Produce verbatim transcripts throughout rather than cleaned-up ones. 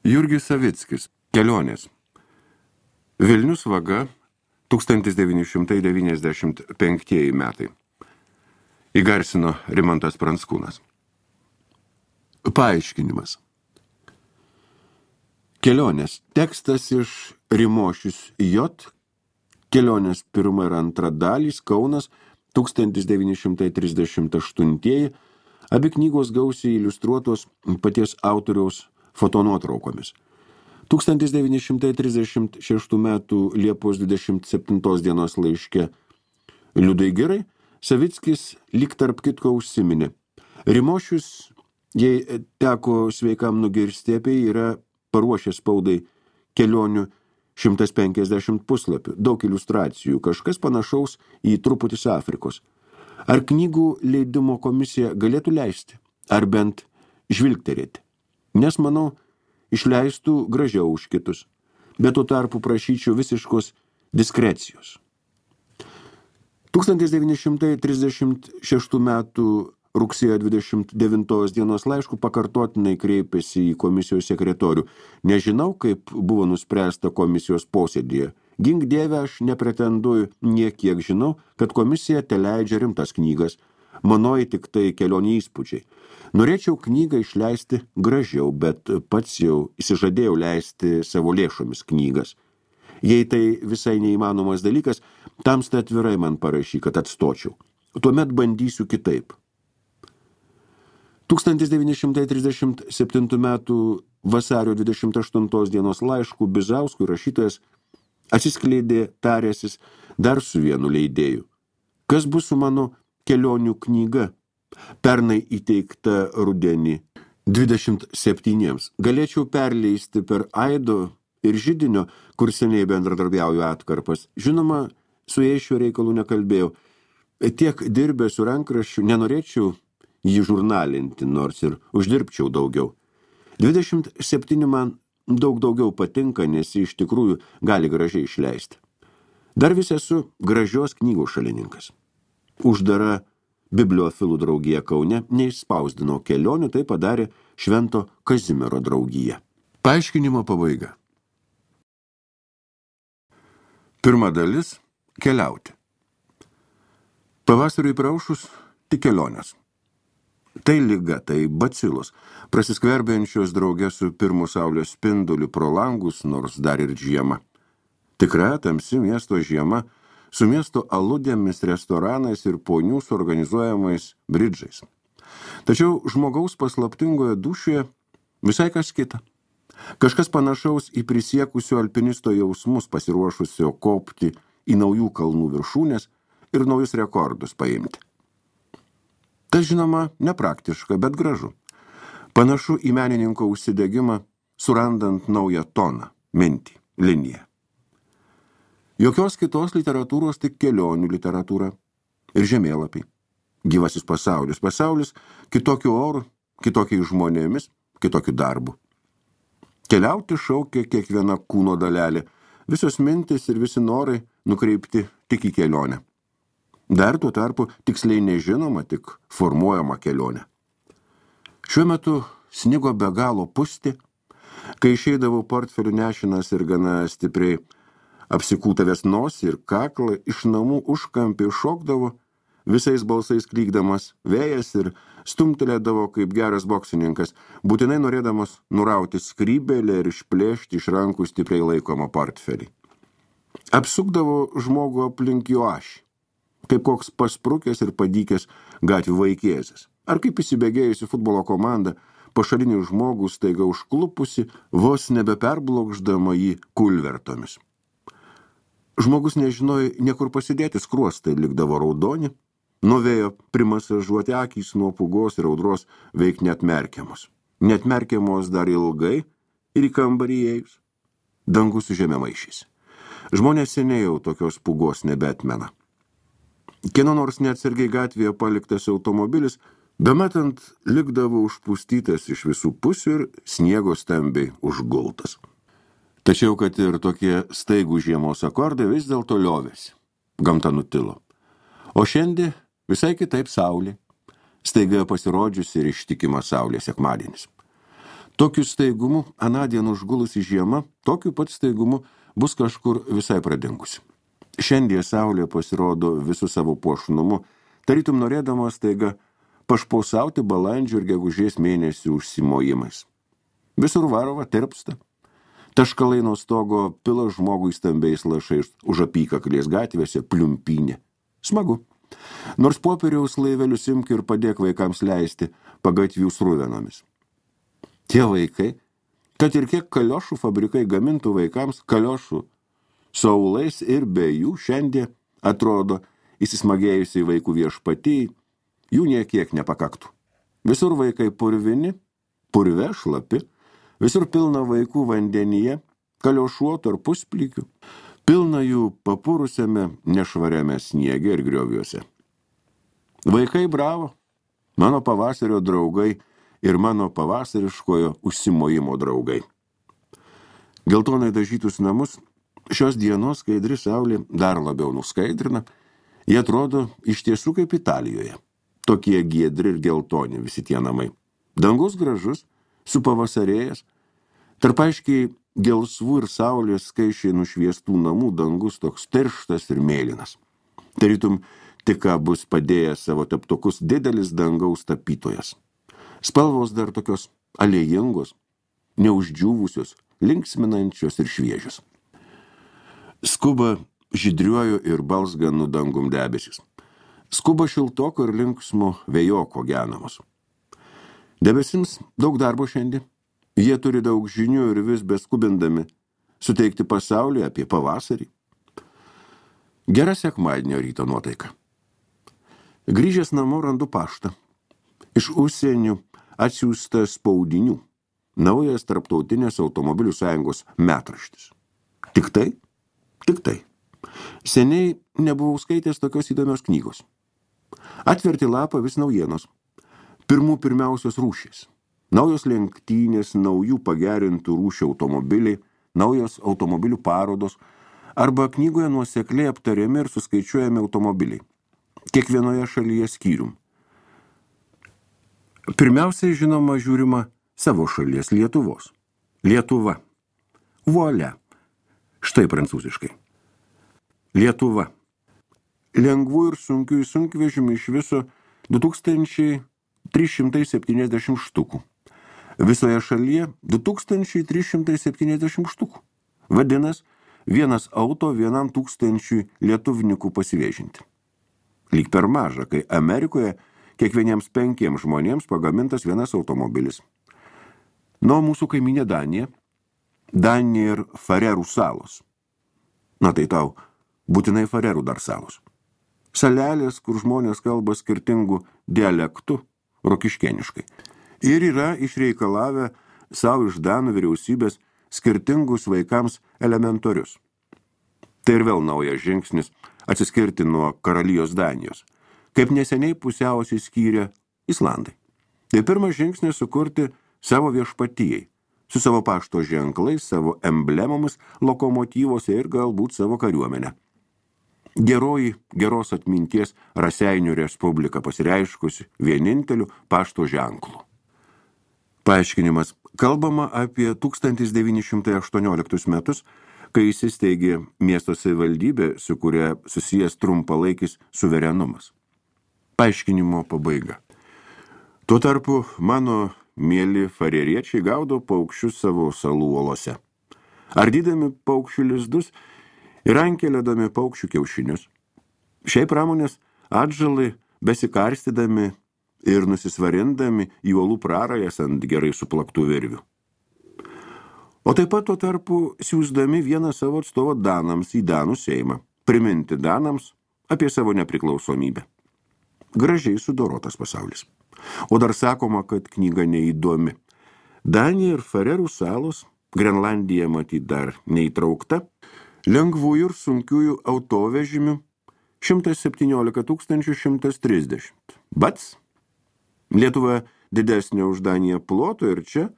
Jurgis Savickis. Kelionės. Vilnius vaga tūkstantis devyni šimtai devyniasdešimt penktieji metai. Įgarsino Rimantas Pranckūnas. Paaiškinimas. Kelionės. Tekstas iš Rimošius J. Kelionės pirma ir antra dalys. Kaunas tūkstantis devyni šimtai trisdešimt aštuntieji. Abi knygos gausiai iliustruotos paties autoriaus fotonuotraukomis. tūkstantis devyni šimtai trisdešimt šeštų metų Liepos dvidešimt septintos dienos laiške Liudai Girai Savickis lyg tarp kitko užsiminė. Rimošius, jei teko sveikam nugirsti apie, yra paruošęs spaudai kelionių šimtas penkiasdešimt puslapių, daug iliustracijų, kažkas panašaus į truputis Afrikos. Ar knygų leidimo komisija galėtų leisti, ar bent žvilgterėti? Nes, manau, išleistų gražiau už kitus, bet tuo tarpu prašyčiau visiškos diskrecijos. tūkstantis devyni šimtai trisdešimt šeštų metų rugsėjo dvidešimt devintos dienos laišku pakartotinai kreipėsi į komisijos sekretorių. Nežinau, kaip buvo nuspręsta komisijos posėdėje. Gink Dieve, aš nepretenduoju, niekiek žinau, kad komisija teleidžia rimtas knygas. Manoji tik tai kelionį įspūdžiai. Norėčiau knygą išleisti gražiau, bet pats jau įsižadėjau leisti savo lėšomis knygas. Jei tai visai neįmanomas dalykas, tamsta atvirai man parašy, kad atstočiau. Tuomet bandysiu kitaip. tūkstantis devyni šimtai trisdešimt septintų metų vasario dvidešimt aštuntos dienos laiškų Bizauskui rašytojas atsiskleidė taręsis dar su vienu leidėju. Kas bus su mano kelionių knyga, pernai įteikta rudenį dvidešimt septyniems. Galėčiau perleisti per Aido ir Židinio, kur seniai bendradarbiauju atkarpas. Žinoma, su jais šiuo reikalu nekalbėjau. Tiek dirbę su rankraščiu, nenorėčiau jį žurnalinti, nors ir uždirbčiau daugiau. dvidešimt septyni man daug daugiau patinka, nes jį iš tikrųjų gali gražiai išleisti. Dar vis esu gražios knygų šalininkas. Uždara bibliofilų draugija Kaune neišspausdino kelionių, tai padarė Švento Kazimiero draugija. Paaiškinimo pabaiga. Pirma dalis – keliauti. Pavasariui praušus – tik kelionės. Tai liga, tai bacilos, prasiskverbiančios drauge su pirmu saulės spinduliu pro langus, nors dar ir žiema. Tikra tamsi miesto žiema, su miesto aludėmis, restoranais ir ponių suorganizuojamais bridžais. Tačiau žmogaus paslaptingoje dūšioje visai kas kita. Kažkas panašaus į prisiekusio alpinisto jausmus, pasiruošusio kopti į naujų kalnų viršūnės ir naujus rekordus paimti. Tas, žinoma, nepraktiška, bet gražu. Panašu į menininko užsidegimą, surandant naują toną, mintį, liniją. Jokios kitos literatūros, tik kelionių literatūra ir žemėlapiai. Gyvasis pasaulis. Pasaulis kitokiu oru, kitokiais žmonėmis, kitokiu darbu. Keliauti šaukia kiekviena kūno dalelė. Visos mintis ir visi norai nukreipti tik į kelionę. Dar tuo tarpu tiksliai nežinoma, tik formuojama kelionė. Šiuo metu snigo be galo pusti, kai išeidavau portfelių nešinas ir gana stipriai apsikūtavęs nosį ir kaklą, iš namų užkampį šokdavo, visais balsais klykdamas vėjas ir stumtelėdavo kaip geras boksininkas, būtinai norėdamas nurauti skrybelę ir išplėšti iš rankų stipriai laikomą portfelį. Apsukdavo žmogų aplink jo ašį, kaip koks pasprukęs ir padykęs gatvių vaikėzis, ar kaip įsibėgėjusi futbolo komanda, pašalinį žmogų staiga užklupusi, vos nebeperblokšdama jį kulvertomis. Žmogus nežinojo niekur pasidėti, skruostai likdavo raudoni, nuo vėjo primasažuoti akys nuo pūgos ir audros veik neatmerkiamos. Neatmerkiamos dar ilgai ir į kambarį įėjus. Dangus su žeme maišys. Žmonės seniai jau tokios pūgos nebeatmena. Kieno nors neatsargiai gatvėje paliktas automobilis, bemetant likdavo užpustytas iš visų pusių ir sniego stambiai užgultas. Tačiau, kad ir tokie staigų žiemos akordai vis dėlto liovėsi. Gamta nutilo. O šiandien visai kitaip saulė. Staiga pasirodžiusi ir ištikima saulė sekmadienis. Tokiu staigumu anądien užgulusi žiema, tokiu pat staigumu bus kažkur visai pradingusi. Šiandien saulė pasirodo visų savo puošnumu, tarytum norėdamas staiga pašpausauti balandžio ir gegužės mėnesių užsimojimais. Visur varova tirpsta. Taškalai nuo stogo pila žmogui stambiais lašais už apykaklės gatvėse pliumpynė. Smagu. Nors popieriaus laivelius imk ir padėk vaikams leisti pagatvių sruvenomis. Tie vaikai, kad ir kiek kaliošų fabrikai gamintų vaikams kaliošų saulais ir be jų šiandien atrodo įsismagėjusiai vaikų viešpatijai, jų niekiek nepakaktų. Visur vaikai purvini, purve šlapi, visur pilna vaikų vandenyje, kaliošuotų ar pusplykių, pilna jų papurusiame nešvariame sniege ir grioviuose. Vaikai bravo, mano pavasario draugai ir mano pavasariškojo užsimojimo draugai. Geltonai dažytus namus šios dienos skaidri saulė dar labiau nuskaidrina, jie atrodo iš tiesų kaip Italijoje. Tokie giedri ir geltoni visi tie namai. Dangus gražus, supavasarėjęs, tarp aiškiai gelsvų ir saulės skaičiai nušviestų namų dangus toks tirštas ir mėlynas. Tarytum tik ką bus padėjęs savo teptukus didelis dangaus tapytojas. Spalvos dar tokios alėjingos, neuždžiūvusios, linksminančios ir šviežios. Skuba žydriuoju ir balsganų dangum debesis. Skuba šiltoko ir linksmo vėjoko genamos. Debesims daug darbo šiandien. Jie turi daug žinių ir vis beskubindami suteikti pasaulį apie pavasarį. Gera sekmadienio ryto nuotaika. Grįžęs namo randu paštą. Iš užsienių atsiųsta spaudinių. Naujas tarptautinės automobilių sąjungos metraštis. Tik tai? Tik tai. Seniai nebuvau skaitęs tokios įdomios knygos. Atverti lapą vis naujienos. Pirmų pirmiausios rūšys. Naujos lenktynės, naujų pagerintų rūšių automobiliai, naujos automobilių parodos, arba knygoje nuosekliai aptariami ir suskaičiuojami automobiliai. Kiekvienoje šalyje skyrium. Pirmiausiai, žinoma, žiūrima savo šalies Lietuvos. Lietuva. Voilà. Štai prancūziškai. Lietuva. Lengvų ir sunkių sunkvežimių iš viso du tūkstančiai trys šimtai septyniasdešimt štukų. Visoje šalyje du tūkstančiai trys šimtai septyniasdešimt štukų. Vadinas, vienas auto vienam tūkstančiui lietuvnikų pasivėžinti. Lyg per maža, kai Amerikoje kiekvieniems penkiems žmonėms pagamintas vienas automobilis. Nuo mūsų kaiminė Danija, Danija ir Farerų salos. Na tai tau, būtinai Farerų dar salos. Salelės, kur žmonės kalba skirtingų dialektų, rokiškėniškai. Ir yra išreikalavę savo iš Danų vyriausybės skirtingus vaikams elementorius. Tai ir vėl naujas žingsnis atsiskirti nuo karalijos Danijos, kaip neseniai pusiausiai skyrė Islandai. Tai pirmas žingsnis sukurti savo viešpatijai, su savo pašto ženklais, savo emblemomis, lokomotyvose ir galbūt savo kariuomenę. Geroji geros atminties Raseinių Respublika pasireiškusi vieninteliu pašto ženklu. Paaiškinimas. Kalbama apie tūkstantis devyni šimtai aštuonioliktus metus, kai įsisteigė miesto savivaldybė, su kuria susijęs trumpalaikis suverenumas. Paaiškinimo pabaiga. Tuo tarpu mano mieli fareriečiai gaudo paukščius savo salų uolose. Ardydami paukščių lizdus ir ankelėdami paukščių kiaušinius. Šiai pramonės atžalai besikarstydami ir nusisvarindami į uolų prarajas ant gerai suplaktų virvių. O taip pat tuo tarpu siųsdami vieną savo atstovą Danams į Danų Seimą, priminti Danams apie savo nepriklausomybę. Gražiai sudorotas pasaulis. O dar sakoma, kad knyga neįdomi. Danija ir Farerų salos, Grenlandija matyt dar neįtraukta, lengvųjų ir sunkiųjų autovežimių šimtas septyniolika tūkstančių šimtas trisdešimt. Bats. Lietuva didesnė už Daniją ploto ir čia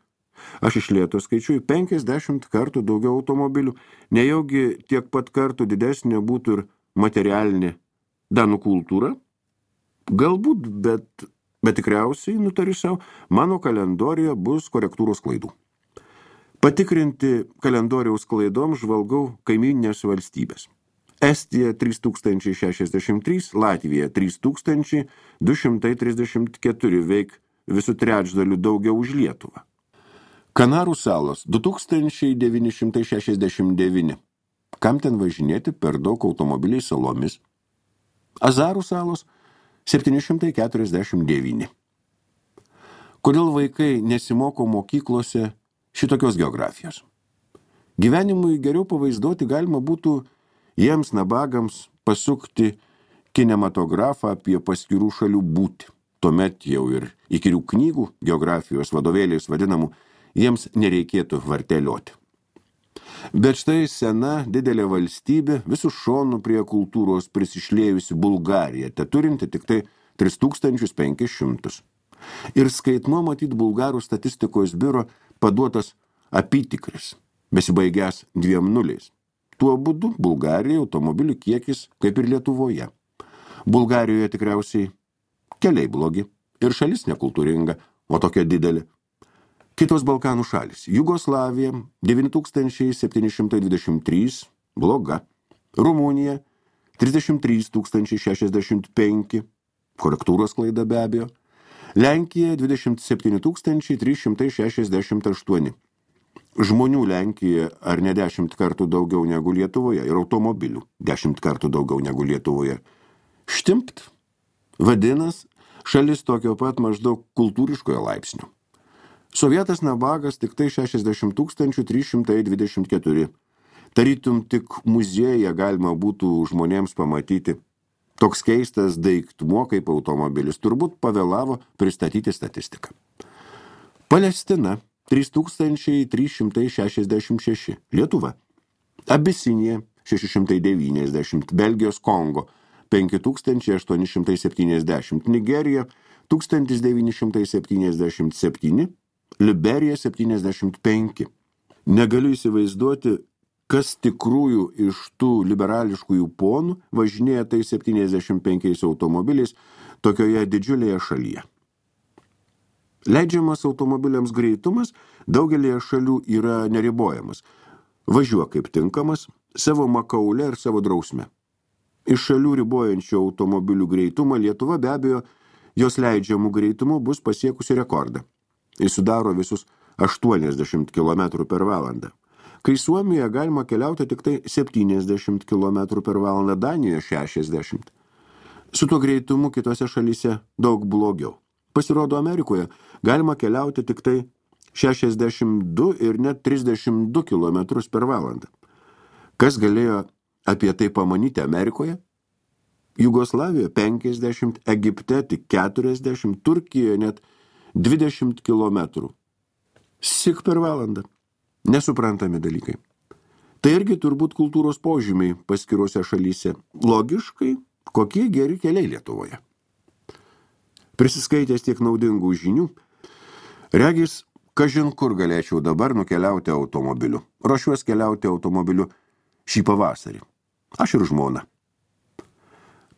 aš iš lėto skaičiuoju penkiasdešimt kartų daugiau automobilių, nejaugi tiek pat kartų didesnė būtų ir materialinė Danų kultūra? Galbūt, bet Bet tikriausiai, nutariu savo, mano kalendorijoje bus korektūros klaidų. Patikrinti kalendoriaus klaidom žvalgau kaimyninės valstybės. Estija trys tūkstančiai šešiasdešimt trys, Latvija trys tūkstančiai du šimtai trisdešimt keturi, veik visų trečdalių daugiau už Lietuvą. Kanarų salos du tūkstančiai devyni šimtai šešiasdešimt devyni. Kam ten važinėti per daug automobiliai salomis? Azarų salos septyni šimtai keturiasdešimt devyni. Kodėl vaikai nesimoko mokyklose šitokios geografijos? Gyvenimui geriau pavaizduoti galima būtų jiems nabagams pasukti kinematografą apie paskirų šalių būtį. Tuomet jau ir įkyrių knygų geografijos vadovėliais vadinamų jiems nereikėtų vartelioti. Bet štai sena didelė valstybė visų šonų prie kultūros prisišlėjusi Bulgarija, te turinti tik tai tris tūkstančius penkis šimtus. Ir skaitmo matyt Bulgarų statistikos biuro paduotas apytikris, besibaigęs dviem nuliais. Tuo būdu Bulgarijai automobilių kiekis kaip ir Lietuvoje. Bulgarijoje tikriausiai keliai blogi ir šalis nekultūringa, o tokia didelė. Kitos Balkanų šalis. Jugoslavija devyni tūkstančiai septyni šimtai dvidešimt trys, bloga. Rumunija trisdešimt trys tūkstančiai šešiasdešimt penki, korektūros klaida be abejo. Lenkija dvidešimt septyni tūkstančiai trys šimtai šešiasdešimt aštuoni. Žmonių Lenkijoje ar ne dešimt kartų daugiau negu Lietuvoje ir automobilių dešimt kartų daugiau negu Lietuvoje. Štimpt. Vadinas, šalis tokio pat maždaug kultūriškojo laipsnio. Sovietas nabagas tik tai šešiasdešimt tūkstančių trys šimtai dvidešimt keturi. Tarytum tik muziejuje galima būtų žmonėms pamatyti. Toks keistas daiktumo kaip automobilis turbūt pavėlavo pristatyti statistiką. Palestina trys tūkstančiai trys šimtai šešiasdešimt šeši, Lietuva. Abisinija šeši šimtai devyniasdešimt, Belgijos Kongo penki tūkstančiai aštuoni šimtai septyniasdešimt, Nigerija tūkstantis devyni šimtai septyniasdešimt septyni, Liberija septyniasdešimt penki. Negaliu įsivaizduoti, kas tikrųjų iš tų liberališkųjų ponų važinėja tai septyniasdešimt penkiais automobiliais tokioje didžiulėje šalyje. Leidžiamas automobiliams greitumas daugelėje šalių yra neribojamas. Važiuok kaip tinkamas, savo makaule ir savo drausme. Iš šalių ribojančių automobilių greitumą Lietuva be abejo jos leidžiamų greitumų bus pasiekusi rekordą. Jis sudaro visus aštuoniasdešimt kilometrų per valandą. Kai Suomijoje galima keliauti tik tai septyniasdešimt kilometrų per valandą, Danijoje šešiasdešimt. Su tuo greitumu kitose šalyse daug blogiau. Pasirodo, Amerikoje galima keliauti tik tai šešiasdešimt du ir net trisdešimt du kilometrus per valandą. Kas galėjo apie tai pamanyti Amerikoje? Jugoslavijoje penkiasdešimt, Egipte tik keturiasdešimt, Turkijoje net dvidešimt kilometrų. Sik per valandą. Nesuprantami dalykai. Tai irgi turbūt kultūros požymiai paskiruose šalyse. Logiškai, kokie geri keliai Lietuvoje. Prisiskaitęs tiek naudingų žinių, regis, kažin kur galėčiau dabar nukeliauti automobiliu. Ruošiuos keliauti automobiliu šį pavasarį. Aš ir žmona.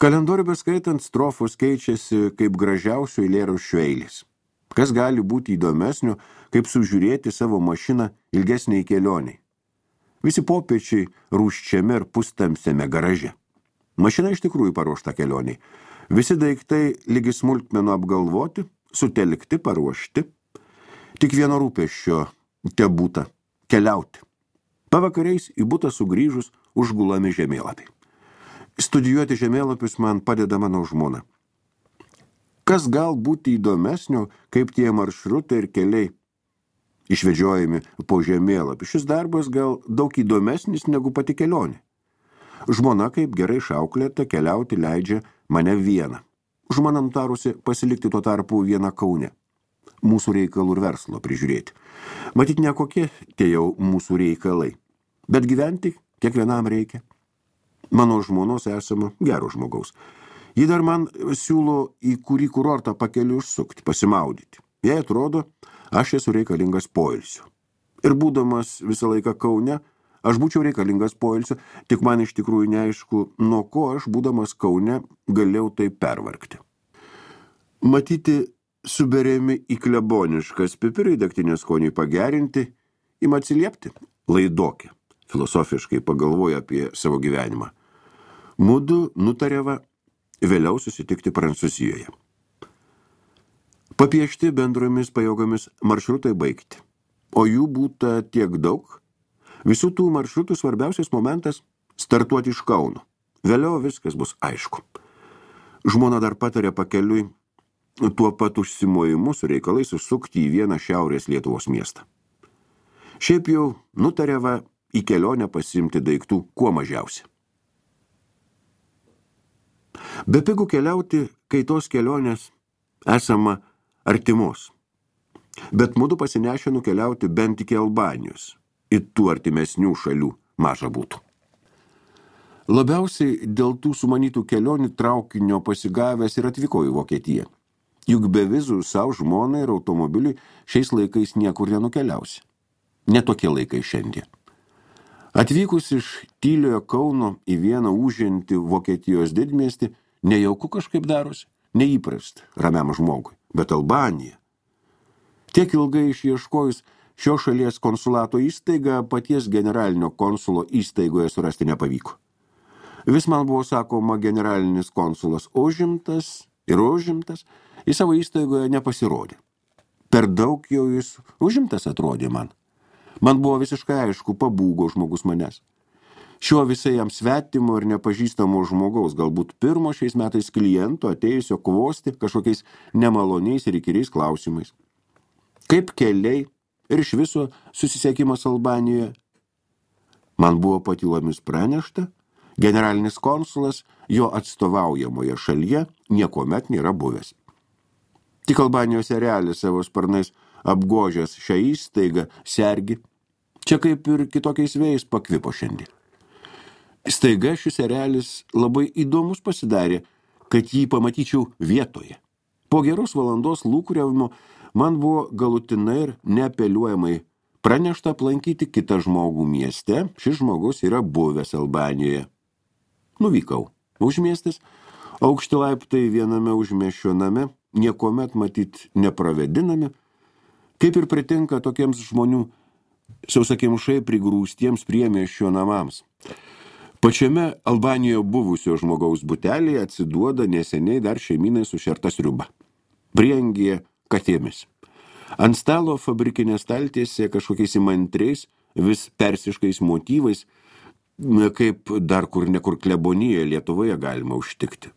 Kalendorių beskaitant strofos keičiasi kaip gražiausių eilėraščių eilės. Kas gali būti įdomesnio, kaip sužiūrėti savo mašiną ilgesniai kelioniai. Visi popiečiai rūščiame ir pustamsiame garaže. Mašina iš tikrųjų paruošta kelioniai. Visi daiktai lygi smulkmenų apgalvoti, sutelkti, paruošti. Tik vieno rūpesčio te būta – keliauti. Pavakariais į butą sugrįžus užgulami žemėlapiai. Studijuoti žemėlapius man padeda mano žmona. Kas gal būti įdomesnio, kaip tie maršrutai ir keliai išvedžiojami po žemėlapį. Šis darbas gal daug įdomesnis negu pati kelionė. Žmona, kaip gerai išauklėta, keliauti leidžia mane vieną. Žmona nutarusi pasilikti tuo tarpu vieną Kaune. Mūsų reikalų ir verslo prižiūrėti. Matyt, ne kokie tie jau mūsų reikalai. Bet gyventi kiekvienam reikia. Mano žmonos esama gero žmogaus. Ji dar man siūlo į kurį kurortą pakeliu užsukti, pasimaudyti. Jei atrodo, aš esu reikalingas poilsiu. Ir būdamas visą laiką Kaune, aš būčiau reikalingas poilsiu, tik man iš tikrųjų neaišku, nuo ko aš, būdamas Kaune, galėjau tai pervargti. Matyti suberiami į kleboniškas pipirai degtinės skoniui pagerinti, ima atsiliepti. Laidokė, filosofiškai pagalvoja apie savo gyvenimą. Mudu nutarėva vėliau susitikti Prancūzijoje. Papiešti bendromis pajėgomis maršrutai baigti, o jų būta tiek daug. Visų tų maršrutų svarbiausias momentas – startuoti iš Kauno. Vėliau viskas bus aišku. Žmona dar patarė pakeliui tuo pat užsimojimu su reikalais užsukti į vieną šiaurės Lietuvos miestą. Šiaip jau nutarėva į kelionę pasiimti daiktų kuo mažiausiai. Bepigu keliauti, kai tos kelionės esama artimos. Bet mudu pasinešę nukeliauti bent iki Albanijos, į tų artimesnių šalių maža būtų. Labiausiai dėl tų sumanytų kelionių traukinio pasigavęs ir atvyko į Vokietiją. Juk be vizų savo žmonai ir automobiliui šiais laikais niekur nenukeliausi. Ne tokie laikai šiandien. Atvykus iš tyliojo Kauno į vieną užžentį Vokietijos didmiestį, nejauku kažkaip darosi, neįprasta ramiam žmogui, bet Albanija. Tiek ilgai išieškojus šio šalies konsulato įstaigą, paties generalinio konsulo įstaigoje surasti nepavyko. Vis man buvo sakoma, generalinis konsulas užimtas ir užimtas, į savo įstaigoje nepasirodė. Per daug jau jis užimtas atrodė man. Man buvo visiškai aišku, pabūgo žmogus manęs. Šiuo visai jam svetimo ir nepažįstamo žmogaus, galbūt pirmo šiais metais kliento atėjusio kvosti kažkokiais nemaloniais ir įkyriais klausimais. Kaip keliai ir iš viso susisiekimas Albanijoje? Man buvo patylomis pranešta, generalinis konsulas jo atstovaujamoje šalyje niekuomet nėra buvęs. Tik Albanijos erelis savo sparnais apgožęs šią įstaigą sergi, čia kaip ir kitokiais vėjais pakvipo šiandien. Staiga šis erelis labai įdomus pasidarė, kad jį pamatyčiau vietoje. Po geros valandos lūkuriavimo man buvo galutinai ir neapeliuojamai pranešta aplankyti kitą žmogų mieste, šis žmogus yra buvęs Albanijoje. Nuvykau. Užmiestis, aukšti laiptai viename užmiesčio name, niekuomet matyt nepravedinami, kaip ir pritinka tokiems žmonių sausakimšai prigrūstiems priemiesčio namams. Pačiame Albanijoje buvusio žmogaus butelėje atsiduoda neseniai dar šeimynai sušerta sriuba. Prieangyje katėmis. Ant stalo fabrikinė staltiesė kažkokiais įmantriais, vis persiškais motyvais, kaip dar kur nekur klebonijoje Lietuvoje galima užtikti.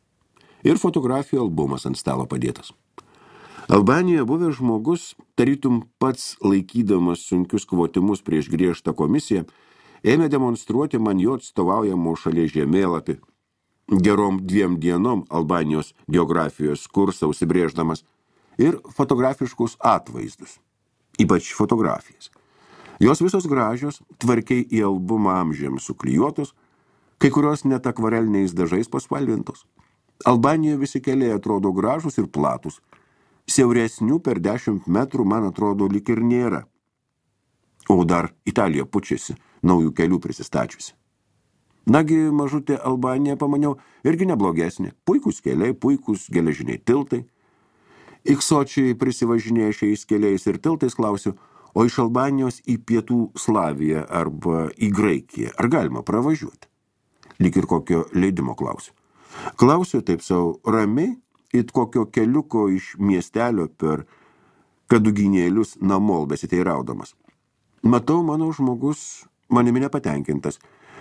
Ir fotografijų albumas ant stalo padėtas. Albanijoje buvęs žmogus, tarytum pats laikydamas sunkius kvotimus prieš griežtą komisiją, ėmė demonstruoti man jo atstovaujamo šalies žemėlapį. Gerom dviem dienom Albanijos geografijos kursą užsibrėždamas ir fotografiškus atvaizdus, ypač fotografijas. Jos visos gražios, tvarkiai į albumą amžiams suklijuotos, kai kurios net akvareliniais dažais paspalvintos. Albanijoje visi keliai atrodo gražus ir platus. Siauresnių per dešimt metrų, man atrodo, lyg ir nėra. O dar Italija pučiasi, naujų kelių prisistačiusi. Nagi, mažutė Albanija, pamaniau, irgi neblogesnė. Puikūs keliai, puikūs geležiniai tiltai. Iksočiai prisivažinėja šiais keliais ir tiltais, klausiu, o iš Albanijos į Pietų Slaviją arba į Graikiją, ar galima pravažiuoti? Lyg ir kokio leidimo klausiu. Klausiu taip savo ramiai, it kokio keliuko iš miestelio per kaduginėlius namol besiteiraudamas. Matau, mano žmogus manimi nepatenkintas.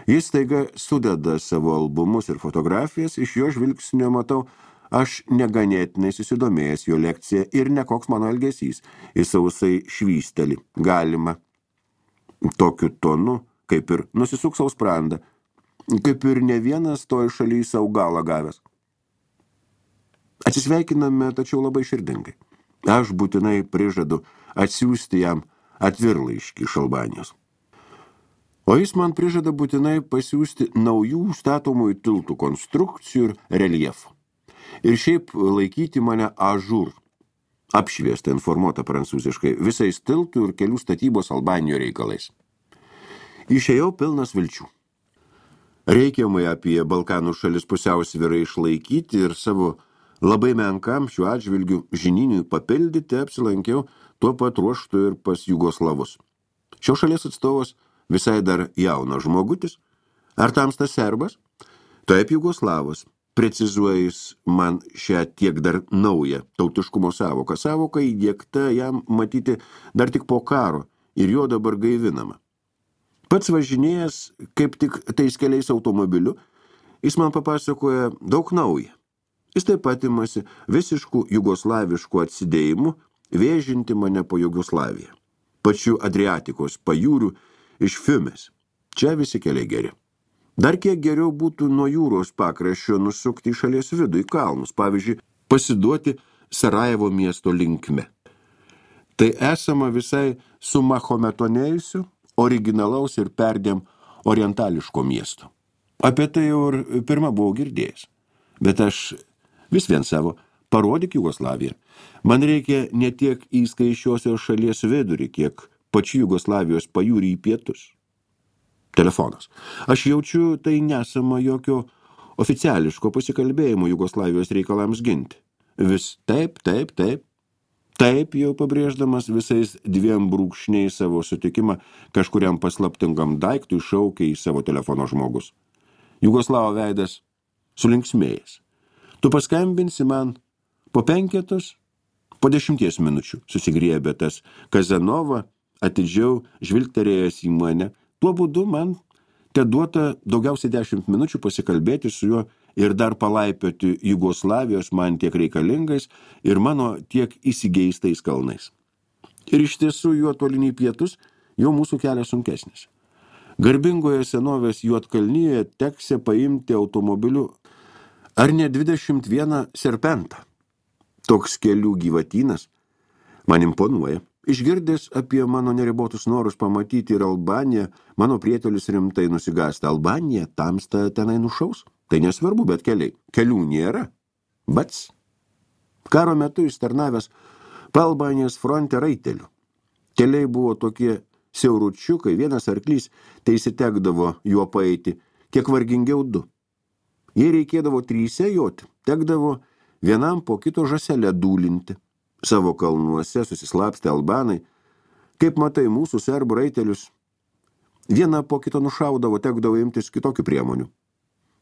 Jis staiga sudeda savo albumus ir fotografijas, iš jo žvilgsnio matau, aš neganėtinai susidomėjęs jo lekciją ir nekoks mano elgesys. Jis sausai švysteli. Galima. Tokiu tonu, kaip ir nusisuk savo sprandą, kaip ir ne vienas toj šaly savo galą gavęs. Atsisveikiname, tačiau labai širdingai. Aš būtinai prižadu atsiųsti jam atvirlaiškį iš Albanijos. O jis man prižada būtinai pasiųsti naujų statomųjų tiltų konstrukcijų ir reljefų. Ir šiaip laikyti mane ažur, apšviestą informuotą prancūziškai, visais tiltų ir kelių statybos Albanijoje reikalais. Išėjau pilnas vilčių. Reikiamai apie Balkanų šalis pusiausvyrą išlaikyti ir savo labai menkam šiuo atžvilgiu žininiui papildyti apsilankiau tuo pat ruoštu ir pas Jugoslavus. Šios šalies atstovas visai dar jaunas žmogutis. Ar tamstas serbas? Taip, Jugoslavas. Precizuoja jis man šią tiek dar naują tautiškumo sąvoką. Sąvoka įdiegta jam matyti dar tik po karo ir jo dabar gaivinama. Pats važinėjęs kaip tik tais keliais automobiliu, jis man papasakoja daug naują. Jis taip pat imasi visiškų jugoslaviškų atsidėjimų vėžinti mane po Jugoslaviją. Pačių Adriatikos pajūrių iš Fiumės. Čia visi keliai geri. Dar kiek geriau būtų nuo jūros pakraščio nusukti į šalies vidų, į kalnus, pavyzdžiui, pasiduoti Sarajevo miesto linkme. Tai esama visai sumahometonėjusiu, originalaus ir perdėm orientališko miesto. Apie tai jau ir pirma buvau girdėjęs. Bet aš vis vien savo parodyk Jugoslaviją. Man reikia ne tiek į skaičiosios šalies vidurį, kiek pačių Jugoslavijos pajūrį į pietus. Telefonas. Aš jaučiu, tai nesama jokio oficiališko pasikalbėjimo Jugoslavijos reikalams ginti. Vis taip, taip, taip. Taip jau pabrėždamas visais dviem brūkšniais savo sutikimą kažkuriam paslaptingam daiktui šaukia į savo telefono žmogus. Jugoslavo veidas sulinksmėjęs. Tu paskambinsi man po penketos, po dešimties minučių, susigriebė tas Kazanova, atidžiau žvilgterėjęs į mane. Tuo būdu man te duota daugiausiai dešimt minučių pasikalbėti su juo ir dar palaipioti Jugoslavijos man tiek reikalingais ir mano tiek įsigeistais kalnais. Ir iš tiesų juo toliniai pietus jau mūsų kelias sunkesnis. Garbingoje senovės Juodkalnyje teksė paimti automobiliu ar ne dvidešimt vieną serpentą. Toks kelių gyvatynas man imponuoja. Išgirdęs apie mano neribotus norus pamatyti ir Albaniją, mano prietelis rimtai nusigąsta. Albanija tamsta tenai nušaus? Tai nesvarbu, bet keliai. Kelių nėra. Bats. Karo metu ištarnavęs Albanijos fronte raitelių. Keliai buvo tokie siauručiukai, vienas arklys teisitekdavo juo paeiti, kiek vargingiau du. Jei reikėdavo tryse joti, tekdavo vienam po kito žąselę dūlinti. Savo kalnuose susislapstę albanai, kaip matai mūsų serbų raitelius, vieną po kito nušaudavo, tekdavo imtis kitokių priemonių.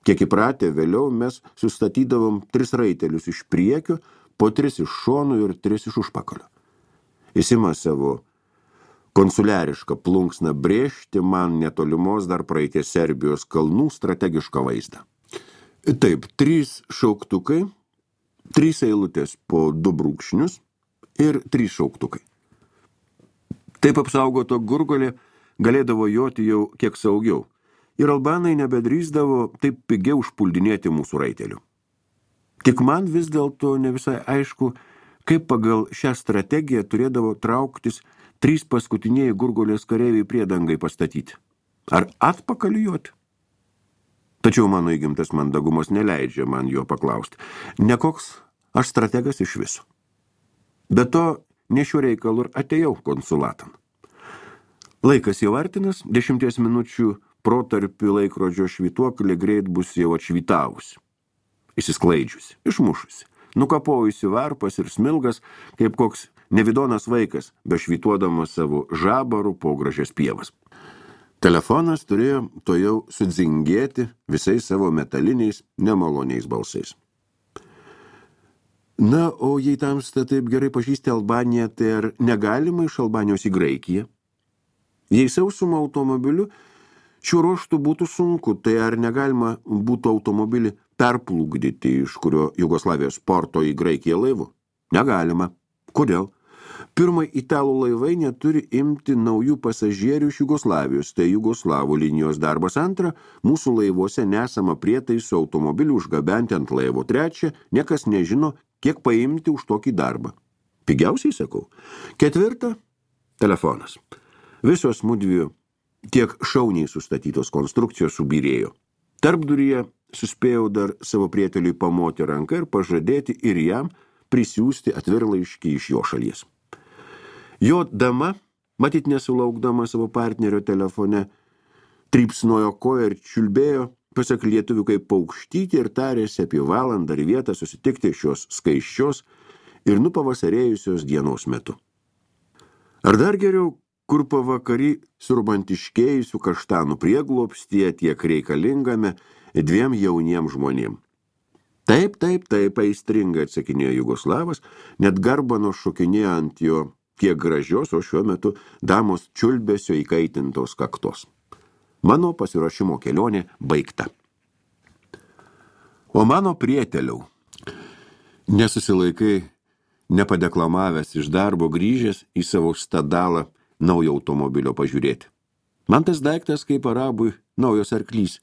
Kiek įpratę, vėliau mes sustatydavom tris raitelius iš priekio, po tris iš šonų ir tris iš užpakalio. Jis ima savo konsuliarišką plunksną brėžti man netolimos dar praeities Serbijos kalnų strategišką vaizdą. Taip, trys šauktukai, trys eilutės po du brūkšnius, ir trys šauktukai. Taip apsaugoto gurgolė galėdavo joti jau kiek saugiau, ir albanai nebedrįsdavo taip pigiau užpuldinėti mūsų raitelių. Tik man vis dėlto ne visai aišku, kaip pagal šią strategiją turėdavo trauktis trys paskutiniai gurgolės kareiviai priedangai pastatyti. Ar atpakalijuoti? Tačiau mano įgimtas mandagumas neleidžia man jo paklausti. Nekoks aš strategas iš viso. Be to, ne šiuo reikalu ir atėjau konsulatan. Laikas jau artinas, dešimties minučių protarpių laikrodžio švytuoklė greit bus jau atšvytavusi, įsisklaidžiusi, išmušusi, nukapojusi varpas ir smilgas, kaip koks nevidonas vaikas, bešvytuodamas savo žabarų po gražias pievas. Telefonas turėjo to jau sudzingėti visais savo metaliniais, nemaloniais balsais. Na, o jei tamsta taip gerai pažįsti Albaniją, tai ar negalima iš Albanijos į Graikiją? Jei sausumą automobiliu šiuo ruoštų būtų sunku, tai ar negalima būtų automobilį perplukdyti iš kurio Jugoslavijos porto į Graikiją laivu? Negalima. Kodėl? Pirma, italų laivai neturi imti naujų pasažierių iš Jugoslavijos, tai Jugoslavų linijos darbas. Antra, mūsų laivuose nesama prietaisų automobilių užgabenti ant laivo. Trečia, niekas nežino, kiek paimti už tokį darbą. Pigiausiai sakau. Ketvirta, telefonas. Visos mudviejų tiek šauniai sustatytos konstrukcijos subyrėjo. Tarpduryje suspėjau dar savo prieteliui pamoti ranką ir pažadėti ir jam prisiųsti atvirlaiškį iš jo šalies. Jo dama, matyt nesulaukdama savo partnerio telefone, trypsnojo koją ir čiulbėjo pasak lietuvių, kaip paukštyti ir tarėsi apie valandą ar vietą susitikti šios skaiščios ir nupavasarėjusios dienos metu. Ar dar geriau, kur pavakarį surbantiškėjusių kaštanų prieglobstyje tiek reikalingame dviem jauniem žmonėm. Taip, taip, taip, aistringai atsakinėjo Jugoslavas, net garbano šokinėjo ant jo kiek gražios, o šiuo metu damos čiulbesio įkaitintos kaktos. Mano pasiruošimo kelionė baigta. O mano prieteliau, nesusilaikai, nepadeklamavęs iš darbo grįžęs į savo stadalą naujo automobilio pažiūrėti. Man tas daiktas kaip arabui naujos arklys,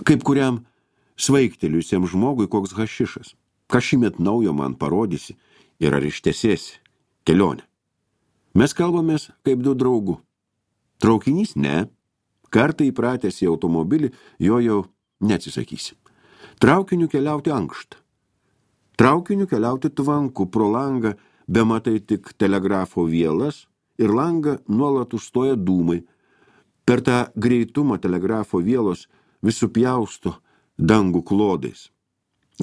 kaip kuriam svaigteliusiam žmogui koks hašišas. Ką šįmet naujo man parodysi ir ar ištesėsi kelionę. Mes kalbamės kaip du draugų. Traukinys ne, kartą įpratęs į automobilį, jo jau neatsisakysi. Traukiniu keliauti ankštą. Traukiniu keliauti tvanku, pro langą bematai tik telegrafo vielas ir langą nuolat užstoja dūmai. Per tą greitumą telegrafo vielos visų pjausto dangų klodais,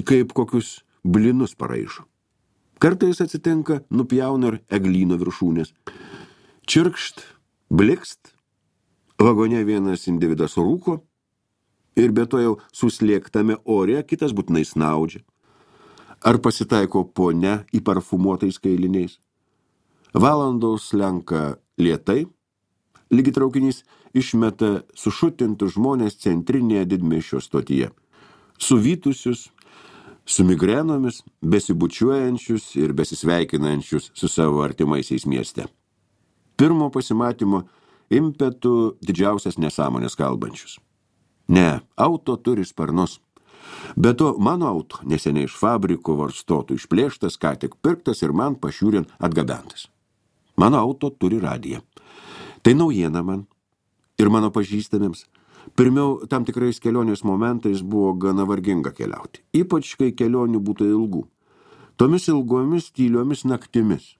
kaip kokius blinus paraišo. Kartais atsitinka, nupjauna ir eglyno viršūnės. Čirkšt, blikst, vagone vienas individas rūko ir be to jau suslėgtame ore kitas būtinai snaudžia. Ar pasitaiko ponia į parfumuotais kailiniais? Valandos slenka lėtai, lygi traukinys išmeta sušutintus žmonės centrinėje didmiesčio stotyje. Suvytusius, su migrenomis, besibučiuojančius ir besisveikinančius su savo artimaisiais mieste. Pirmo pasimatymo impetų didžiausias nesąmonės kalbančius. Ne, auto turi sparnus. Be to, mano auto neseniai iš fabriko varstotų išplėštas, ką tik pirktas ir man pašiūrin atgabentas. Mano auto turi radiją. Tai naujiena man ir mano pažįstamiems. Pirmiau, tam tikrais kelionės momentais buvo gana varginga keliauti, ypač kai kelionių būtų ilgų. Tomis ilgomis tyliomis naktimis,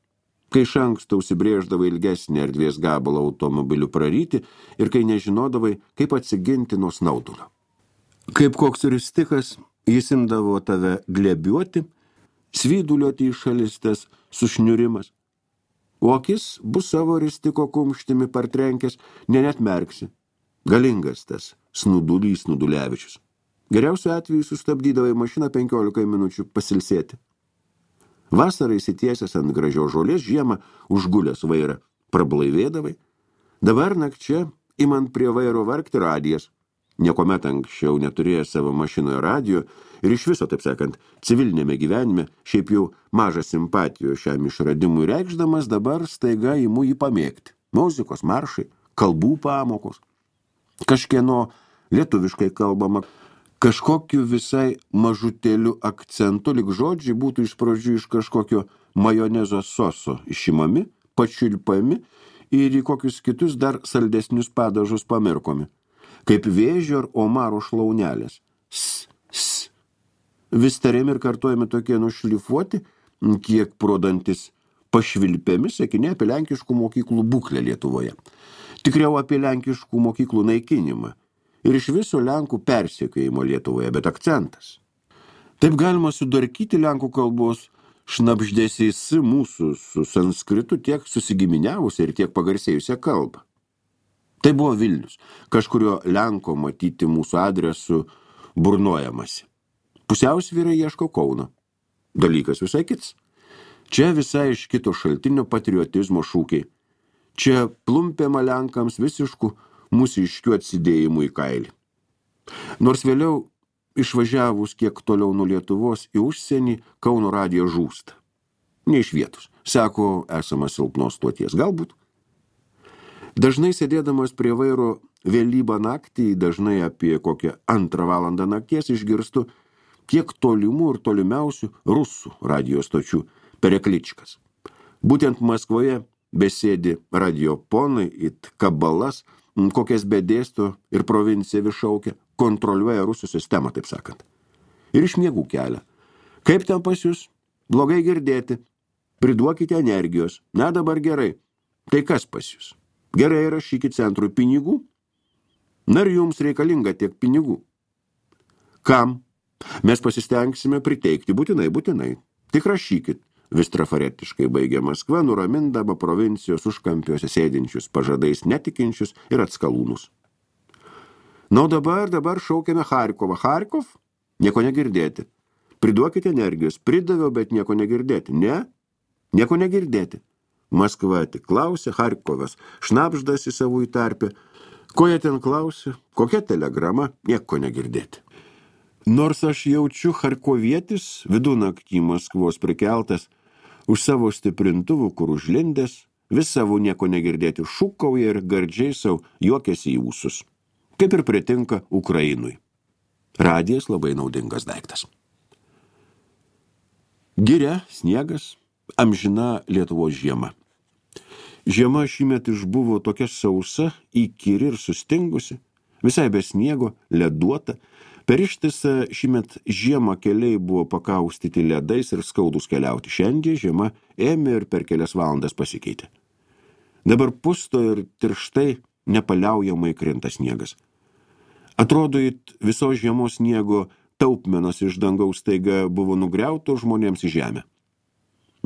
kai iš anksto užsibrėždavai ilgesnį erdvės gabalą automobiliu praryti ir kai nežinodavai, kaip atsiginti nuo snaudulio. Kaip koks ristikas, jis imdavo tave glebiuoti, svyduliuoti į šalistes sušniurimas, o akis bus savo ristiko kumštimi partrenkęs, ne net merksi. Galingas tas snudulys Snudulevičius. Geriausiu atveju sustabdydavai mašiną penkiolika minučių pasilsėti. Vasarą įsitiesęs ant gražios žolės, žiemą užgulęs vairą prablaivėdavai. Dabar nakčia imant prie vairo vargti radijas. Niekuomet anksčiau neturėjęs savo mašinoje radijo ir iš viso, taip sakant, civilinėme gyvenime, šiaip jau mažą simpatijo šiam išradimui reikšdamas, dabar staiga imu jį pamėgti. Muzikos, maršai, kalbų pamokos. Kažkieno lietuviškai kalbama, kažkokiu visai mažutėliu akcentu, lyg žodžiai būtų iš pradžių iš kažkokio majonezo soso išimami, pačiulpami ir į kokius kitus dar saldesnius padažus pamirkomi, kaip vėžio ar omaro šlaunelės. S, s. Vis tariami ir kartojami tokie nušlifuoti, kiek pro dantis pašvilpėmi sakiniai apie lenkiškų mokyklų būklę Lietuvoje. Tikriau apie lenkiškų mokyklų naikinimą ir iš viso lenkų persekiojimo Lietuvoje, bet akcentas. Taip galima sudarkyti lenkų kalbos šnabždesiais mūsų su sanskritu tiek susigiminiavusią ir tiek pagarsėjusią kalbą. Tai buvo Vilnius, kažkurio lenko matyti mūsų adresu burnojamasi. Pusiausvyra ieško Kauno. Dalykas visai kits. Čia visai iš kito šaltinio patriotizmo šūkiai. Čia plumpiama lenkams visiškų mūsiškių atsidėjimų į kailį. Nors vėliau, išvažiavus kiek toliau nuo Lietuvos į užsienį, Kauno radija žūsta. Ne iš vietos. Sako, esama silpnos stoties. Galbūt. Dažnai sėdėdamas prie vairo vėlybą naktį, dažnai apie kokią antrą valandą nakties išgirstu kiek tolimų ir tolimiausių rusų radijos stočių perekličkas. Būtent Maskvoje besėdi radioponai, it kabalas, kokias bedėsto ir provincija višaukia, kontroliuoja rusų sistemą, taip sakant. Ir iš miegų kelia. Kaip ten pas jūs? Blogai girdėti. Priduokite energijos. Na, dabar gerai. Tai kas pas jūs? Gerai, rašykit centrui pinigų. Na ir jums reikalinga tiek pinigų. Kam? Mes pasistengsime priteikti būtinai, būtinai. Tik rašykit. Vis trafaretiškai baigė Maskva, nuramindama provincijos užkampiuose sėdinčius, pažadais netikinčius ir atskalūnus. Na, dabar, dabar šaukiame Charkovą. Charkov? Nieko negirdėti. Priduokite energijos. Pridaviau, bet nieko negirdėti. Ne? Nieko negirdėti. Maskva tik klausė, Charkovas šnapždasi savų į tarpę. Ko jie ten klausė? Kokia telegrama? Nieko negirdėti. Nors aš jaučiu charkovietis, vidunaktį Maskvos prikeltas, už savo stiprintuvų, kur užlindęs, vis savo nieko negirdėti šūkauja ir gardžiai savo juokiasi į ūsus. Kaip ir pritinka Ukrainui. Radijas labai naudingas daiktas. Giria, sniegas, amžina Lietuvos žiema. Žiema šįmet išbuvo tokia sausa, įkyri ir sustingusi, visai be sniego, leduota. Per ištisą šįmet žiemą keliai buvo pakaustyti ledais ir skaudus keliauti. Šiandien žiema ėmė ir per kelias valandas pasikeitė. Dabar pusto ir tirštai nepaliaujamai krinta sniegas. Atrodo, it visos žiemos sniego taupmenos iš dangaus staiga buvo nugriautos žmonėms į žemę.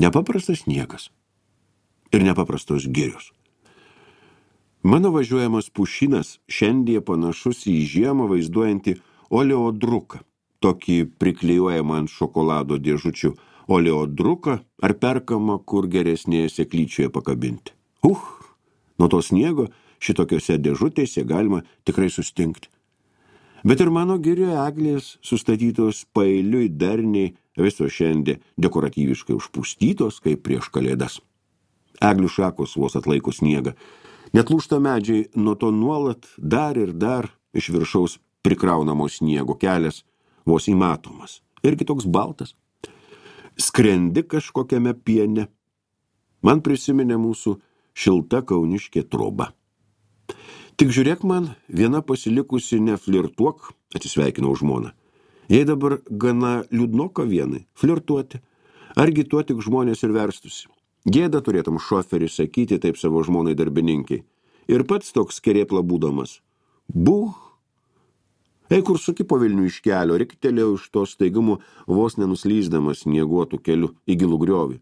Nepaprastas sniegas ir nepaprastos girios. Mano važiuojamas pušinas šiandien panašus į žiemą vaizduojantį oleodruką, tokį priklijuojamą ant šokolado dėžučių oleodruką ar perkamą, kur geresnėje seklyčioje pakabinti. Uh, nuo to sniego šitokiose dėžutėse galima tikrai sustingti. Bet ir mano girioje eglės sustatytos paeiliui darniai viso šiandien dekoratyviškai užpustytos, kaip prieš kalėdas. Eglių šakos vos atlaiko sniegą. Net lūžta medžiai nuo to nuolat dar ir dar iš viršaus prikraunamo sniego kelias vos įmatomas. Irgi toks baltas. Skrendi kažkokiame piene. Man prisiminė mūsų šilta kauniškė troba. Tik žiūrėk man, viena pasilikusi neflirtuok, atsisveikinau žmoną. Jei dabar gana liūdnoka vienai, flirtuoti, argi tuo tik žmonės ir verstusi. Gėda turėtum šoferį sakyti taip savo žmonai darbininkiai. Ir pats toks kerėpla būdamas. Buh! Ei, kur suki po Vilnių iš kelio, riktelėjau iš to staigumo vos nenuslyzdamas snieguotų kelių į gilų griovį.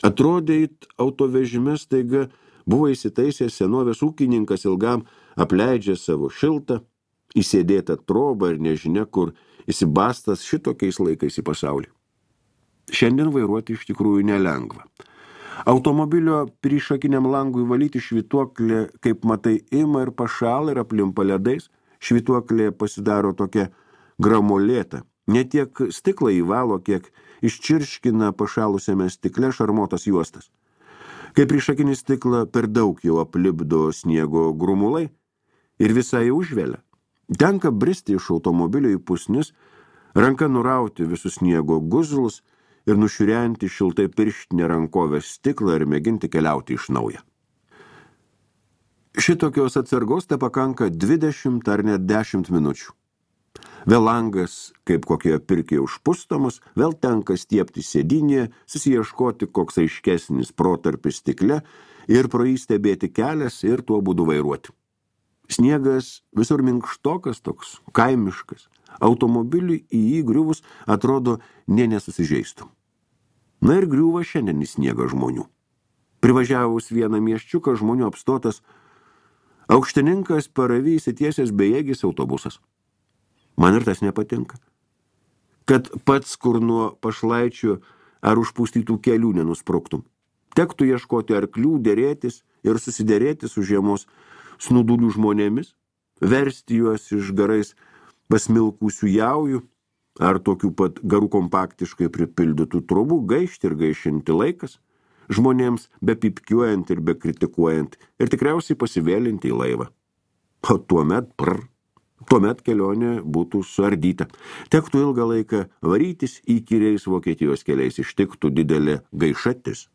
Atrodė, it autovežime staiga buvo įsitaisęs senovės ūkininkas ilgam apleidžia savo šiltą, įsėdėtą trobą ir nežinia, kur įsibastas šitokiais laikais į pasaulį. Šiandien vairuoti iš tikrųjų nelengva. Automobilio priešakiniam langui valyti švytuoklė, kaip matai, ima ir pašala ir aplimpa ledais. Švytuoklė pasidaro tokia gramolėta. Ne tiek stiklą įvalo, kiek iščirškina pašalusiame stikle šarmotas juostas. Kai priešakinį stiklą per daug jau aplipdo sniego grumulai ir visai užvelia. Tenka bristi iš automobilio į pusnis, ranka nurauti visus sniego guzlus ir nušiurenti šiltai pirštinę rankovę stiklą ir mėginti keliauti iš naujo. Šitokios atsargos te pakanka dvidešimt ar net dešimt minučių. Vėl langas, kaip kokioje pirkėje užpustomas, vėl tenka stiepti sėdinėje, susiieškoti koks aiškesnis protarpis stikle ir pro jį stebėti kelias ir tuo būdu vairuoti. Sniegas visur minkštokas toks, kaimiškas. Automobiliui į jį griuvus atrodo nė nesusižeistų. Na ir griuva šiandien į sniegą žmonių. Privažiavus vieną miesčiuką žmonių apstotas, aukštininkas paravy įsitiesęs bejėgis autobusas. Man ir tas nepatinka. Kad pats kur nuo pašlaičių ar užpustytų kelių nenuspruktum. Tektų ieškoti arklių, dėrėtis ir susidėrėti su žiemos snudulių žmonėmis, versti juos iš garais pasmilkusių jaujų ar tokių pat garų kompaktiškai pripildytų trobų gaišti ir gaišinti laikas, žmonėms be pipkiuojant ir be kritikuojant ir tikriausiai pasivėlinti į laivą. O tuomet, prr, tuomet kelionė būtų suardyta. Tektų ilgą laiką varytis įkyriais Vokietijos keliais, ištiktų didelė gaišatis.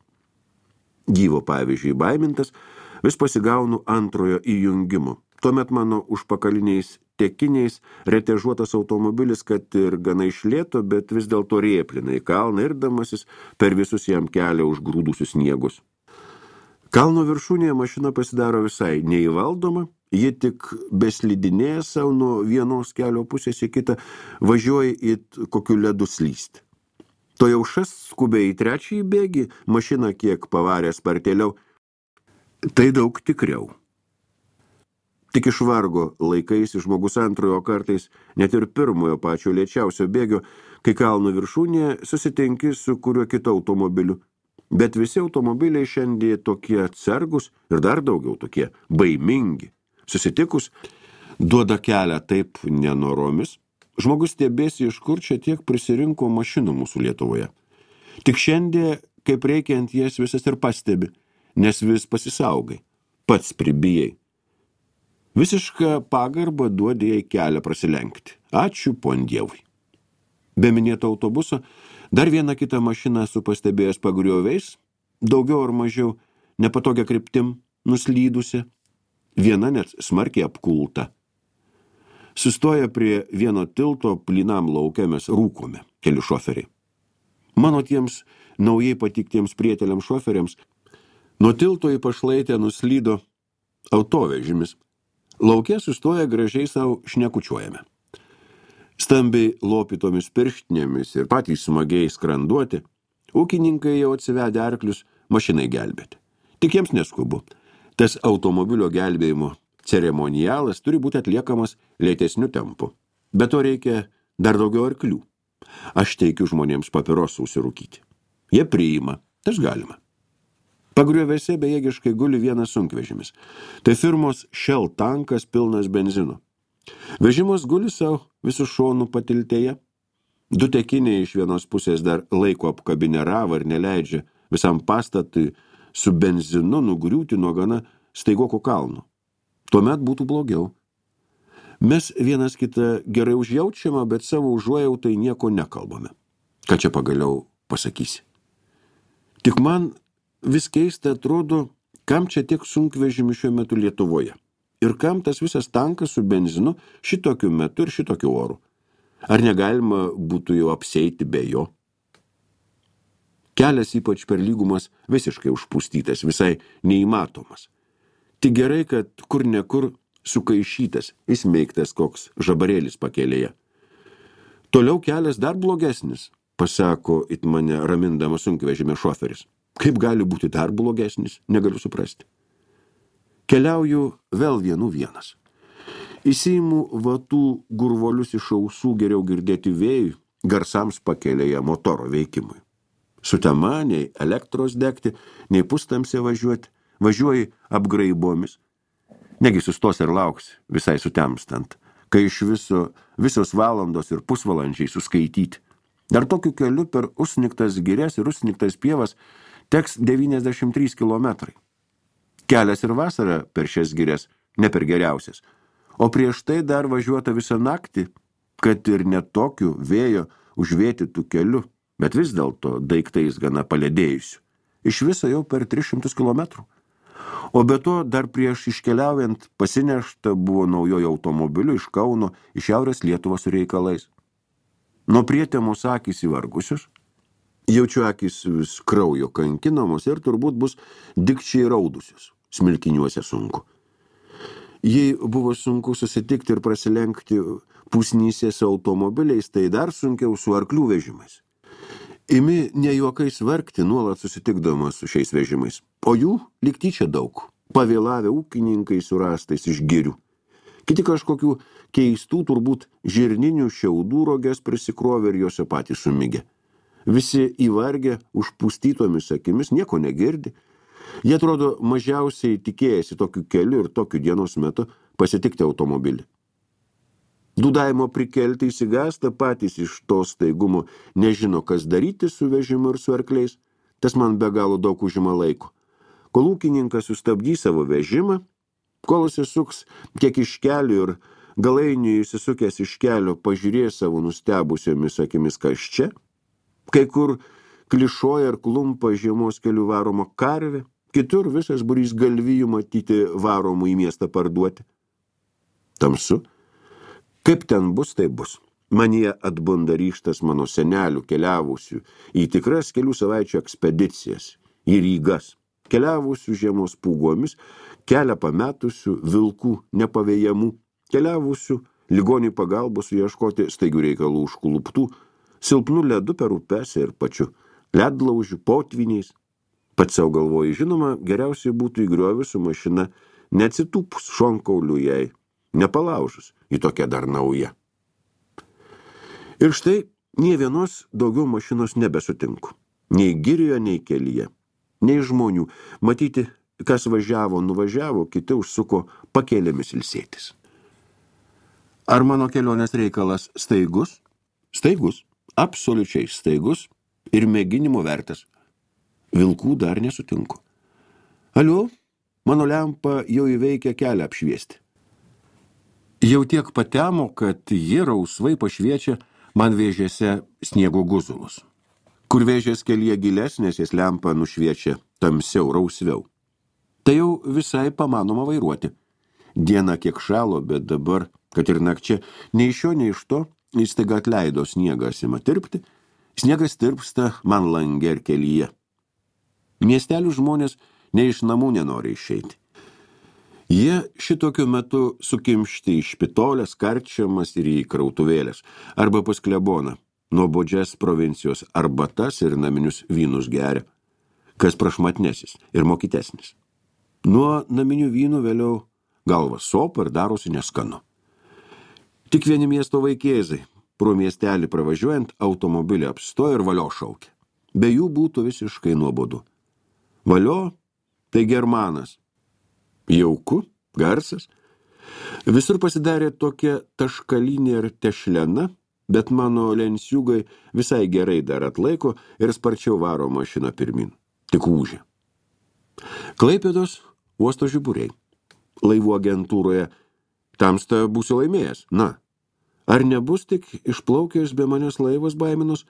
Gyvo pavyzdžiui baimintas, vis pasigaunu antrojo įjungimo. Tuomet mano užpakaliniais tekiniais retežuotas automobilis, kad ir gana išlėto, bet vis dėlto rėplina į kalną irdamasis per visus jam kelią užgrūdusius sniegus. Kalno viršūnėje mašina pasidaro visai neįvaldoma ji tik beslidinėja savo nuo vienos kelio pusės į kitą, važiuoja į kokiu ledu slysti. To jau šas skubiai į trečiąjį bėgį, mašiną kiek pavarė spartėliau. Tai daug tikriau. Tik iš vargo laikais žmogus antrojo kartais, net ir pirmojo pačio lėčiausio bėgio, kai kalno viršūnėje susitinki su kuriuo kitu automobiliu. Bet visi automobiliai šiandien tokie atsargus ir dar daugiau tokie baimingi. Susitikus, duoda kelią taip nenoromis. Žmogus stebėsi, iš kur čia tiek prisirinko mašinų mūsų Lietuvoje. Tik šiandien, kaip reikiant, jas visas ir pastebi, nes vis pasisaugai, pats pribijai. Visišką pagarbą duodė jai kelią prasilenkti. Ačiū pon Dievui. Be minėto autobuso, dar vieną kitą mašiną esu pastebėjęs pagrioviais, daugiau ar mažiau nepatogia kryptim, nuslydusi, viena net smarkiai apkulta. Sustoja prie vieno tilto plynam lauke mes rūkome, keli šoferiai. Mano tiems naujai patiktiems prieteliams šoferiams nuo tilto į pašlaitę nuslydo autovežimis. Lauke sustoja gražiai savo šnekučiuojame. Stambiai lopytomis pirštinėmis ir patys smagiai skranduoti, ūkininkai jau atsivedę arklius mašinai gelbėti. Tik jiems neskubu. Tas automobilio gelbėjimo ceremonialas turi būti atliekamas lėtesniu tempu. Bet to reikia dar daugiau arklių. Aš teikiu žmonėms papirosų užsirūkyti. Jie priima, tas galima. Pagriovėse bejėgiškai guli vienas sunkvežimis. Tai firmos Shell tankas pilnas benzino. Vežimas guli savo visų šonų patiltėje. Du tekiniai iš vienos pusės dar laiko apkabinę ravą ir neleidžia visam pastatui su benzinu nugriūti nuo gana staigoko kalno. Tuomet būtų blogiau. Mes vienas kitą gerai užjaučiame, bet savo užuojautai nieko nekalbame. Ką čia pagaliau pasakysi? Tik man vis keista atrodo, kam čia tiek sunkvežimių šiuo metu Lietuvoje. Ir kam tas visas tankas su benzinu šitokiu metu ir šitokiu oru. Ar negalima būtų jau apseiti be jo? Kelias ypač per lygumas visiškai užpustytas, visai neįmatomas. Tik gerai, kad kur nekur sukaišytas, įsmeigtas koks žabarėlis pakelėje. Toliau kelias dar blogesnis, pasako it mane ramindamas sunkvežimio šoferis. Kaip gali būti dar blogesnis, negaliu suprasti. Keliauju vėl vienu vienas. Įsiimu vatų gurvolius iš ausų geriau girdėti vėjui, garsams pakelėje motoro veikimui. Sutema, nei elektros degti, nei pustamsė važiuoti, važiuoji apgraibomis. Negi sustos ir lauks, visai sutemstant, kai iš viso, visos valandos ir pusvalandžiai suskaityti. Dar tokiu keliu per užsnigtas girias ir užsnigtas pievas teks devyniasdešimt trys kilometrai. Kelias ir vasara per šias girias ne per geriausias, o prieš tai dar važiuota visą naktį, kad ir net tokiu vėjo užvėtytų keliu, bet vis dėlto daiktais gana paledėjusių. Iš viso jau per tris šimtus kilometrų. O be to dar prieš iškeliaujant pasinešta buvo naujojo automobiliu iš Kauno į Šiaurės Lietuvą su reikalais. Nuo prietemos akys įvargusius, jaučiu akys vis kraujo kankinamos ir turbūt bus dikčiai raudusius, smilkiniuose sunku. Jei buvo sunku susitikti ir prasilenkti pusnyse su automobiliais, tai dar sunkiau su arklių vežimais. Imi ne juokais vargti nuolat susitikdamas su šiais vežimais, o jų lyg tyčia daug, pavėlavę ūkininkai su rastais iš girių. Kiti kažkokių keistų, turbūt žirninių šiaudų roges prisikrovė ir juose patys sumigė. Visi įvargę, užpustytomis akimis, nieko negirdi. Jie atrodo mažiausiai tikėjasi tokiu keliu ir tokiu dienos metu pasitikti automobilį. Dūdavimo prikelti įsigąsta patys iš to staigumo, nežino, kas daryti su vežimu ir su arkliais. Tas man be galo daug užima laiko. Kol ūkininkas sustabdys savo vežimą, kol įsisuks kiek iš kelių ir galainiui įsisukęs iš kelio pažiūrės savo nustebusiomis akimis, kas čia, kai kur klišoja ir klumpa žiemos kelių varoma karvė, kitur visas būrys galvijų matyti varomų į miestą parduoti. Tamsu. Kaip ten bus, tai bus. Manie atbunda ryžtas mano senelių keliavusių į tikras kelių savaičių ekspedicijas, į Rygas. keliavusių žiemos pūgomis, kelią pametusių, vilkų nepavėjamų, keliavusių ligonių pagalbos ieškoti staigių reikalų užkluptų, silpnų ledu per upes ir pačiu ledlaužių, potviniais. Pats savo galvoju, žinoma, geriausiai būtų įgriovius su mašina, neatsitūpus šonkaulių jai, nepalaužus, į tokią dar naują. Ir štai nė vienos daugiau mašinos nebesutinku. Nei girioje, nei kelyje, nei žmonių. Matyti, kas važiavo, nuvažiavo, kiti užsuko pakėlėmis ilsėtis. Ar mano kelionės reikalas staigus? Staigus, absoliučiai staigus ir mėginimo vertas. Vilkų dar nesutinku. Aliu, mano lempa jau įveikia kelią apšviesti. Jau tiek patemo, kad jie rausvai pašviečia man vėžėse sniego guzulus. Kur vėžės kelyje gilesnės, jas lempa nušviečia tamsiau, rausviau. Tai jau visai pamanoma vairuoti. Diena kiek šalo, bet dabar, kad ir nakčia, nei iš šio, nei iš to, jis staiga atleido sniegas ima tirpti, sniegas tirpsta man lange ir kelyje. Miestelių žmonės nei iš namų nenori išeiti. Jie šitokiu metu sukimšti į špitolės, karčiamas ir į krautuvėlės, arba pas kleboną, nuobodžias provincijos arbatas ir naminius vynus geria, kas prašmatnesis ir mokytesnis. Nuo naminių vynų vėliau galvas sopa ir darosi neskanu. Tik vieni miesto vaikėzai, pro miestelį pravažiuojant, automobilį apstoja ir valio šaukia. Be jų būtų visiškai nuobodu. Valio tai germanas. Jauku, garsas. Visur pasidarė tokia taškalinė ir tešlena, bet mano lenciugai visai gerai dar atlaiko ir sparčiau varo mašiną pirmin. Tik ūžia. Klaipėdos uosto žiburiai. Laivų agentūroje tamsta būsiu laimėjęs. Na, ar nebus tik išplaukęs be manęs laivas baiminos?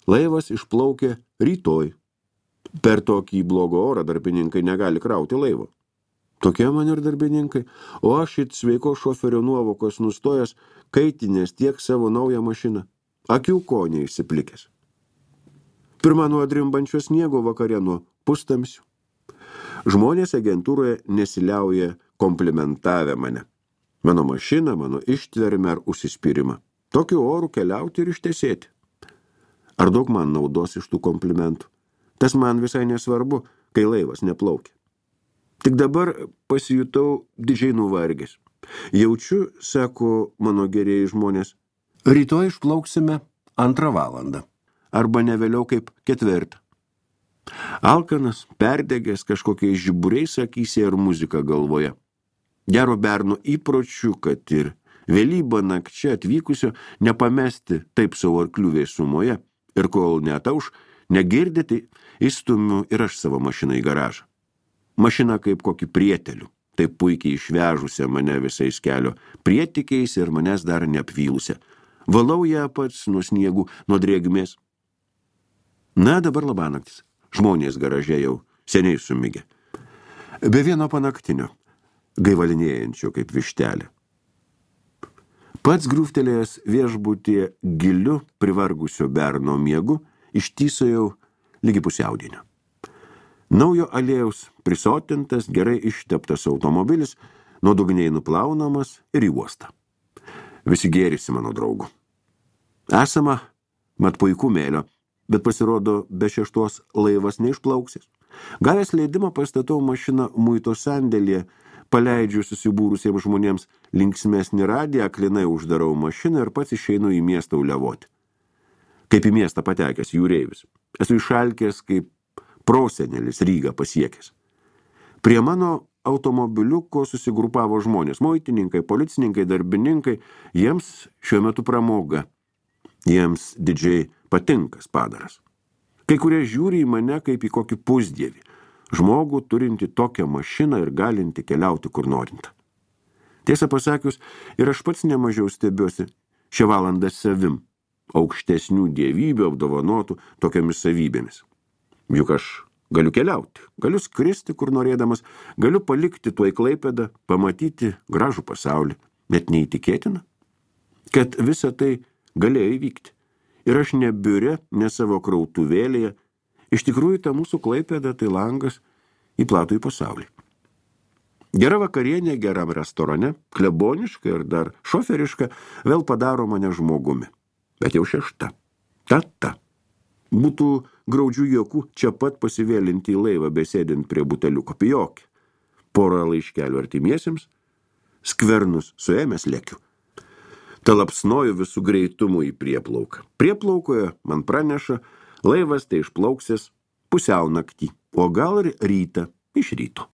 Laivas išplaukė rytoj. Per tokį blogą orą darbininkai negali krauti laivo. Tokie man ir darbininkai, o aš it sveiko šoferio nuovokos nustojęs, kaitinės tiek savo naują mašiną. Akių ko neišsiplikęs. Pirma nuo drimbančio sniego, vakare nuo pustamsių. Žmonės agentūroje nesiliauja komplimentavę mane. Mano mašiną, mano ištvermę ar užsispyrimą. Tokiu oru keliauti ir ištesėti. Ar daug man naudos iš tų komplimentų? Tas man visai nesvarbu, kai laivas neplaukia. Tik dabar pasijutau didžiai nuvargęs. Jaučiu, sako mano gerieji žmonės, rytoj išplauksime antrą valandą, arba ne vėliau kaip ketvirtą. Alkanas, perdegęs kažkokiais žiburiais akyse ir muzika galvoje. Gero berno įpročių, kad ir vėlybą nakčia atvykusio nepamesti taip savo arklių vėsumoje ir kol neatauš, negirdėti, įstumiu ir aš savo mašiną į garažą. Mašina kaip kokį prietelių, taip puikiai išvežusią mane visais kelio prietikiais ir manęs dar neapvylusią. Valau ją pats nuo sniegų, nuo drėgmės. Na, dabar labanaktis. Žmonės garaže jau seniai sumigė. Be vieno panaktinio, gaivalinėjančio kaip vištelė. Pats grūftelėjęs viešbutyje giliu privargusio berno miegu, ištysojau lygi pusiaudienio. Naujo aliejaus prisotintas, gerai išteptas automobilis, nuodugniai nuplaunamas ir į uostą. Visi gėrisi mano draugų. Esama, mat puikų mėlio, bet pasirodo be šeštos laivas neišplauksis. Gavęs leidimą pastatau mašiną muito sandėlyje, paleidžiu susibūrusiems žmonėms linksmesnį radiją, aklinai uždarau mašiną ir pats išeinu į miestą uliavoti. Kaip į miestą patekęs jūreivis. Esu išalkęs kaip prosenelis Rygą pasiekęs. Prie mano automobiliuko susigrupavo žmonės, muitininkai, policininkai, darbininkai, jiems šiuo metu pramoga. Jiems didžiai patinkas padaras. Kai kurie žiūri į mane kaip į kokį pusdievį, žmogų turinti tokią mašiną ir galinti keliauti kur norinta. Tiesą pasakius, ir aš pats nemažiau stebiuosi šią valandą savim, aukštesnių dievybių apdovanotų tokiamis savybėmis. Juk aš galiu keliauti, galiu skristi kur norėdamas, galiu palikti tuoj Klaipėdą, pamatyti gražų pasaulį. Net neįtikėtina, kad visa tai galėjo įvykti. Ir aš ne biure, ne savo krautuvėlėje. Iš tikrųjų, ta mūsų Klaipėda tai langas į platų į pasaulį. Gera vakarienė geram restorane, kleboniška ir dar šoferiška, vėl padaro mane žmogumi. Bet jau šešta. Ta-ta. Būtų graudžių juokų čia pat pasivėlinti į laivą besėdint prie buteliuko pijokį. Porą laiškelių artimiesiems, skvernus suėmęs lekiu. Talapsnoju visų greitumų į prieplauką. Prieplaukoje man praneša, laivas tai išplauksės pusiau naktį, o gal ir rytą iš ryto.